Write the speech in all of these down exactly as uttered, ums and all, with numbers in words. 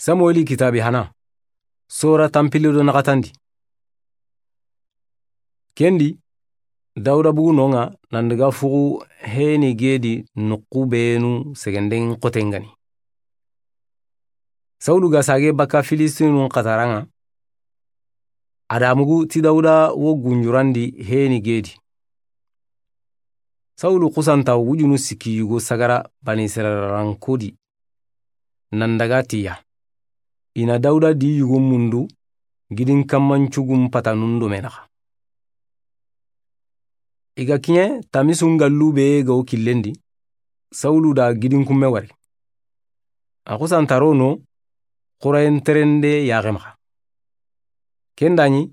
Samueli kitaabe hana, sora tanpille do naxatandi. Ken di, Dawuda bugu no ŋa nan daga fuxu heni gedi nuxu benu segenden xoten ŋa ni. Sawulu ga sage bakka Filistinun xatara ŋa, a da mugu ti Dawuda wo gunjurandi heni gedi. Sawulu xusanta wujunu sikki yugo sagara Bani Israila rankodi. Nan daga tiya. I na Dawuda di yugun mundu gidin kammancugun patanun do me naxa. I ga kiɲe tamisun gallu be ga wo killen di, Sawulu da gidin kumme wari. A xusantaro no xurayen terende yaxe maxa. Ken da ɲi,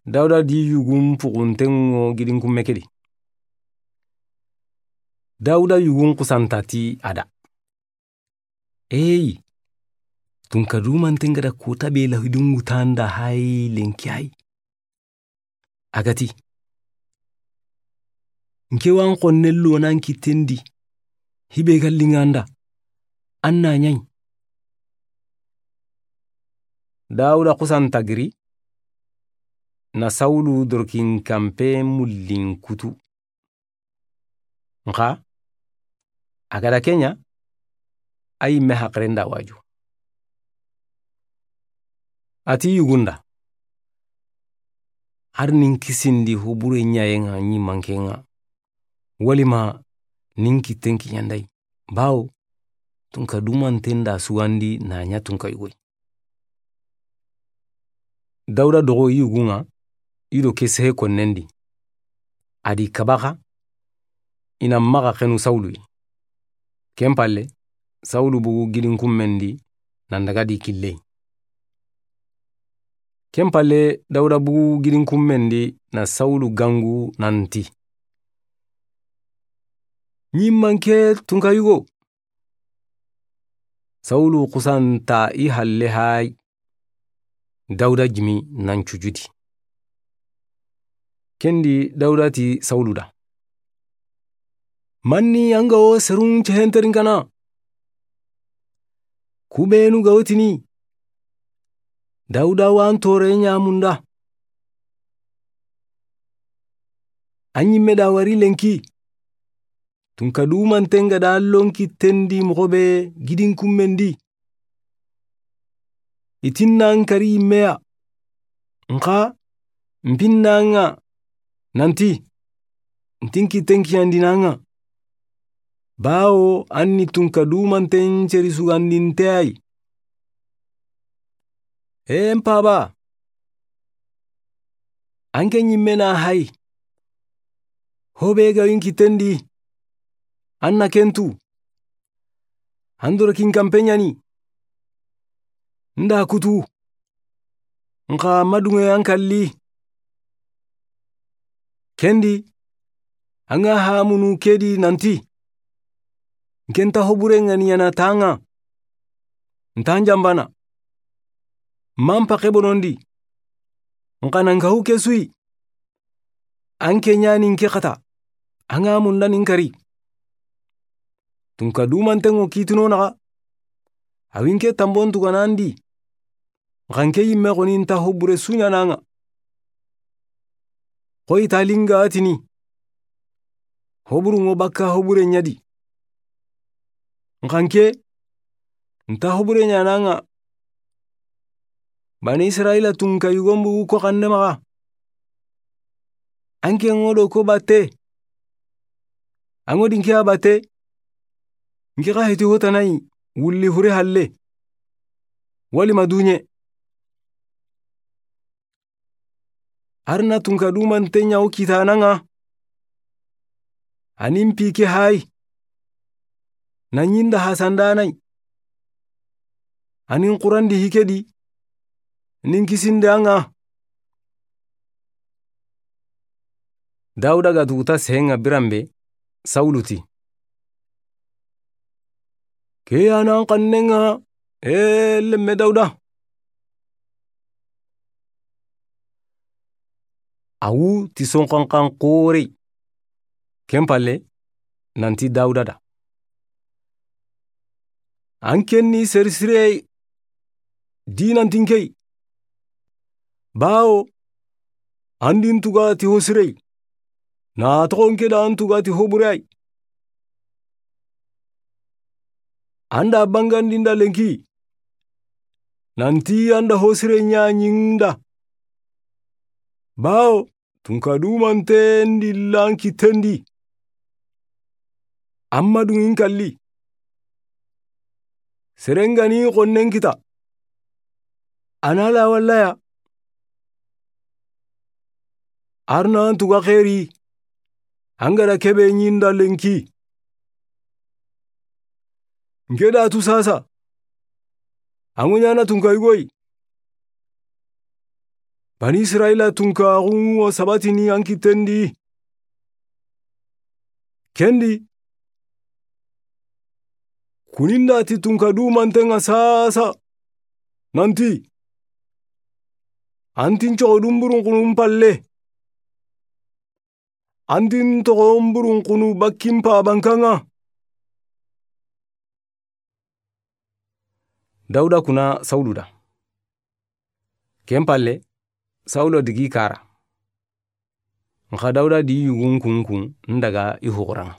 Dawuda di yugun puxunten ŋo gidin kumme ke di. Dawuda yugun xusanta ti a da. Eyi, tunka dumanten ga da kota be lahidun wutanda hay lenki hay. A ga ti, nke wan xonne lonan kitten di, hibe ga linganda, an na ɲayi. Dawuda xusanta giri, na Sawulu dorokin kampe mullin kutu. Nxa, a ga da ke ɲa, a yimme haqiren da waju. A ti yugunda. Har nin kisindi hubure ɲayen ŋa ɲi manken ŋa. Walima nin kitten kiɲandayi. Bawo, tunka dumanten da sugandi na ɲa tunka yugoyi. Dawuda dogo i yugun ŋa, i do ke sehe konnen di. A di kabaxa, i na maxa xenu Sawulu yi. Ken palle, Sawulu bugu gidin kummen di, nan daga di kille. Ken palle, Dawuda bugu gidin kummen di, na Sawulu gangu nan ti. Ɲi manke tunka yugo. Sawulu xusanta i halle hay. Dawuda jimi nan cujudi. Ken di Dawuda ti Sawulu da. Manni an ga wo serun cehenterin kana? Kubenu ga wo tini. Dawuda wan tore ɲamunda. An ɲimme da wari lenki. Tunka dumanten ga da lonki tendi moxo be gidin kummen di. I tinna n kari yimmeya. Nxa n pinna ŋa nanti n tin kitten kiyandina ŋa. Bawo an ni tunka dumanten ceri sugandinte ay. Ee n paba, an ke ɲimme na hay. Hobe ga winki tendi. An na kentu. An doro kin kampe ɲani. Nda kutu. Nxa maduŋe an kalli. Kendi, an ga hamunu kedi nanti. N ke nta hobure ŋani ɲana taŋa. Nta n jambana. Man paxe bonondi. Nxa nan kahu ke suyi. An ke ɲani n ke xata. An ga munda nin kari. Tunka dumanten ŋo kitino naxa. Awi n ke tambon tuganandi. Nxa n ke yimme xoni nta hobure suɲanaŋa. Xoyi talinga tini. Hoburu ŋo bakka hobure ɲadi. Nxa n ke nta hobure ɲanaŋa. Bani Israila tunka yugon bugu ko xande maxa. An ke ŋo do ko batte. An ŋo di n ke a batte. N ke xa heti hotanayi wulli hure halle. Wali ma duɲe. Arna tunka dumanten ɲa wo kitanaŋa. Anin pike hay. Na ɲinda hasandanay. Anin qurandi hikedi. Nin kisinde aŋa. Dawuda ga tuguta seŋa biranbe Sawulu ti. Ke ya nan xanneŋa, ee lemme Dawuda. A wu ti sonxanxan xore. Ken palle nanti Dawuda da. An kenni serisirey. Di nanti n ke yi. Bawo an di n tuga ti ho sire yi, na toxo n ke da an tuga ti ho bure yi. An da bangandi n da lenki, nanti an da ho sire ɲaɲi n da. Bawo tunka dumante n di la n kitten di. Amma duŋi n kalli. Sere n ga ni xonnen kita, a na la walla ya. Arna n tuga xeeri, an ga da kebe ɲi n da lenki. N ke da tu sasa, an ŋo ɲaana tunka yugo yi. Bani Israila tunka xunŋo sabatini an kitten di. Ken di, kuninda ti tunka dumanten ŋa sasa, nanti, an ti n coxo du n burunxunu n palle. An ti n toxo n burunxunu bakki n pabankan ŋa. Dawuda kuna Sawulu da. Ken palle, Sawulu digi kara. Nxa Dawuda di yugun kunkun n daga i huxuran ŋa.